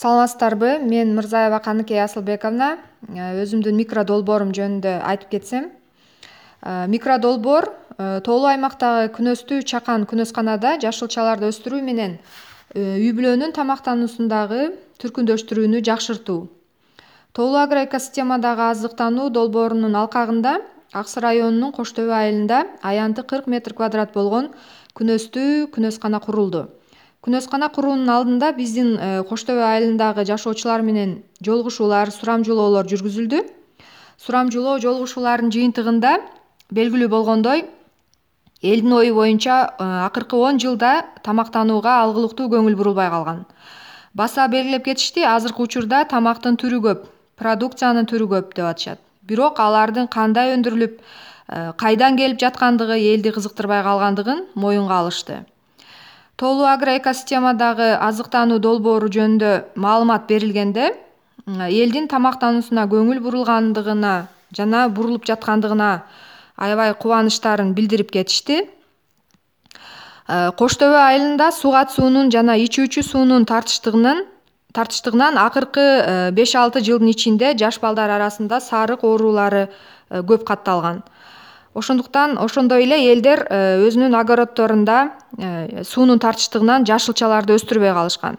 Саламатсыздарбы? Мен Мырзаева Каныкей Асылбековна. Өзүмдүн микродолбоорум жөнүндө айтып кетсем. Микродолбоор тоолуу аймактагы күнөстүү чакан күнөсканада жашылчаларды өстүрүү менен үй бүлөнүн тамактануусундагы түркүндөштүрүүнү жакшыртуу. Тоолуу агроэкосистемадагы азыктануу долбоорунун алкагында Аксы районунун Кош Төбө айылында аянты 40 метр квадрат болгон күнөстүү күнөскана курулду. Күнөскана куруунун алдында биздин Кош Төбө айылындагы жашоочулар менен жолугушуулар, сурамжылоолор жүргүзүлдү. Сурамжылоо жолугушуулардын жыйынтыгында белгилүү болгондой, элдин ою боюнча акыркы 10 жылда тамактанууга алгылыктуу көңүл бурулбай калган. Баса белгилеп кетишти, азыркы учурда тамактын түрү көп, продукциянын түрү көп деп атышат. Бирок алардын кандай өндүрүлүп, кайдан келип жаткандыгы элди кызыктырбай калгандыгын моюнга алышты. Тоолуу агроэкосистемадагы азыктануу долбоору жөнүндө маалымат берилгенде, элдин тамактануусуна көңүл бурулгандыгына жана бурулуп жаткандыгына аябай кубанычтарын билдирип кетишти. Кош Төбө айылында сугат суунун жана ичүүчү суунун тартыштыгынан акыркы 5-6 жылдын ичинде жаш балдар арасында сарык оорулары көп катталган. Ошондой эле элдер өзүнүн огороддорунда суунун тартыштыгынан жашылчаларды өстүрбөй калышкан.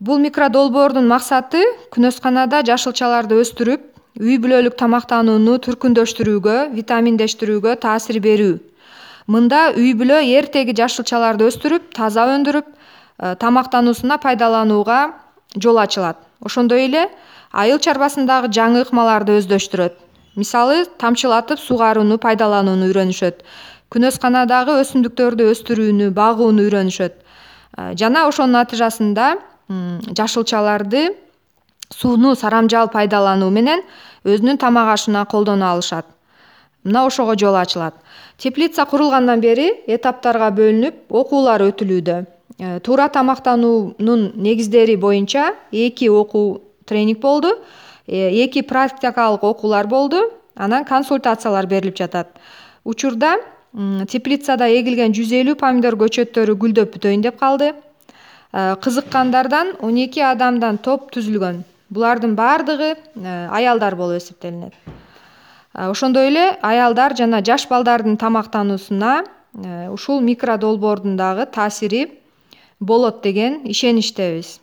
Бул микродолбоордун максаты күнөсканада жашылчаларды өстүрүп, үй бүлөлүк тамактанууну түркүндөштүрүүгө, витаминдештирүүгө таасир берүү. Мында үй бүлө эртеги жашылчаларды өстүрүп, таза өндүрүп, тамактануусуна пайдаланууга жол ачылат. Ошондой эле айыл чарбасындагы жаңы ыкмаларды өздөштүрөт. Мисалы, тамчылатып сугарууну пайдаланууну үйрөнүшөт. Күнөсканадагы өсүмдүктөрдү өстүрүүнү, багууну үйрөнүшөт. Жана ошонун натыйжасында жашылчаларды сууну сарамжал пайдалануу менен өзүнүн тамак ашына колдоно алышат. Мына ошого жол ачылат. Теплица курулгандан бери этаптарга бөлүнүп, окуулар өтүлүүдө. Туура тамактануунун негиздери боюнча 2 окуу тренинг болду, 2 практикалык окуулар болду, анан консультациялар берилип жатат. Учурда теплицада эгилген 150 помидор көчөттөрү гүлдөп бүтөйүн деп калды. Кызыккандардан 12 адамдан топ түзүлгөн. Булардын баардыгы аялдар болуп эсептелинет. Ошондой эле аялдар жана жаш балдардын тамактануусуна ушул микродолбоордун дагы таасири болот деген ишеничтебиз.